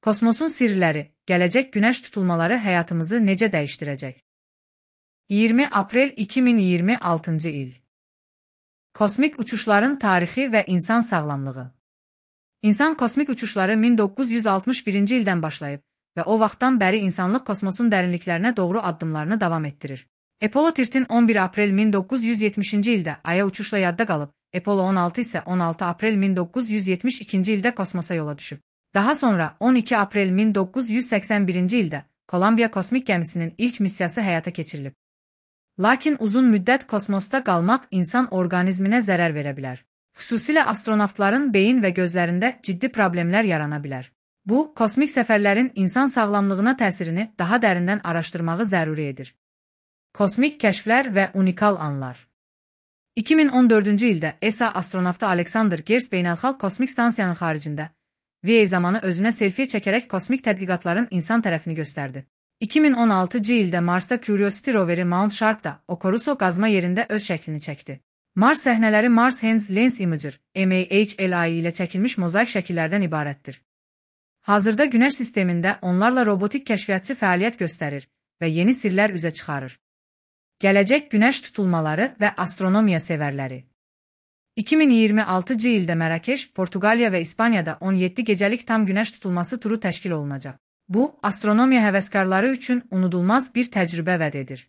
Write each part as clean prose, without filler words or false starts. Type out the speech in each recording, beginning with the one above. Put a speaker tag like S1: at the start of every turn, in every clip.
S1: Kosmosun sirləri, gələcək günəş tutulmaları həyatımızı necə dəyişdirəcək? 20 aprel 2026-cı il. Kosmik uçuşların tarixi və insan sağlamlığı. İnsan kosmik uçuşları 1961-ci ildən başlayıb və o vaxtdan bəri insanlıq kosmosun dərinliklərinə doğru addımlarını davam etdirir. Apollo 13 11 aprel 1970-ci ildə Aya uçuşla yadda qalıb, Apollo 16 isə 16 aprel 1972-ci ildə kosmosa yola düşüb. Daha sonra 12 aprel 1981-ci ildə Kolumbiya kosmik gəmisinin ilk missiyası həyata keçirilib. Lakin uzun müddət kosmosda qalmaq insan orqanizminə zərər verə bilər. Xüsusilə astronavtların beyin və gözlərində ciddi problemlər yarana bilər. Bu, kosmik səfərlərin insan sağlamlığına təsirini daha dərindən araşdırmağı zəruri edir. Kosmik kəşflər və unikal anlar. 2014-cü ildə ESA astronavtı Alexander Gerst beynəlxalq kosmik stansiyanın xaricində VA zamanı özünə selfie çəkərək kosmik tədqiqatların insan tərəfini göstərdi. 2016-cı ildə Marsda Curiosity roveri Mount Sharp-da Okuruso qazma yerində öz şəklini çəkdi. Mars səhnələri Mars Hands Lens Imager (MAHLI) ilə çəkilmiş mozaik şəkillərdən ibarətdir. Hazırda Günəş sistemində onlarla robotik kəşfiyyatçı fəaliyyət göstərir və yeni sirlər üzə çıxarır. Gələcək günəş tutulmaları və astronomiya sevərləri. 2026-cı ildə Mərakeş, Portuqaliya və İspaniyada 17 gecəlik tam günəş tutulması turu təşkil olunacaq. Bu, astronomiya həvəskarları üçün unudulmaz bir təcrübə vəd edir.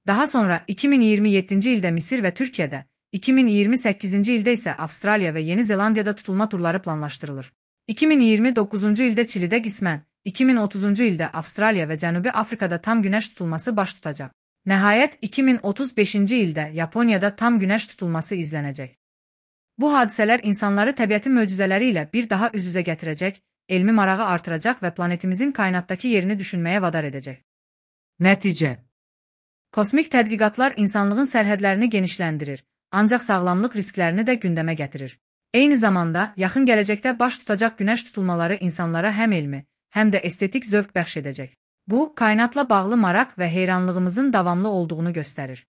S1: Daha sonra 2027-ci ildə Misir və Türkiyədə, 2028-ci ildə isə Avstraliya və Yeni Zelandiyada tutulma turları planlaşdırılır. 2029-cu ildə Çilidə qismən, 2030-cu ildə Avstraliya və Cənubi Afrikada tam günəş tutulması baş tutacaq. Nəhayət, 2035-ci ildə Yaponiyada tam günəş tutulması izlənəcək. Bu hadisələr insanları təbiətin möcüzələri ilə bir daha üz-üzə gətirəcək, elmi marağı artıracaq və planetimizin kainatdakı yerini düşünməyə vadar edəcək.
S2: Nəticə.
S1: Kosmik tədqiqatlar insanlığın sərhədlərini genişləndirir, ancaq sağlamlıq risklərini də gündəmə gətirir. Eyni zamanda, yaxın gələcəkdə baş tutacaq günəş tutulmaları insanlara həm elmi, həm də estetik zövq bəxş edəcək. Bu, kainatla bağlı maraq və heyranlığımızın davamlı olduğunu göstərir.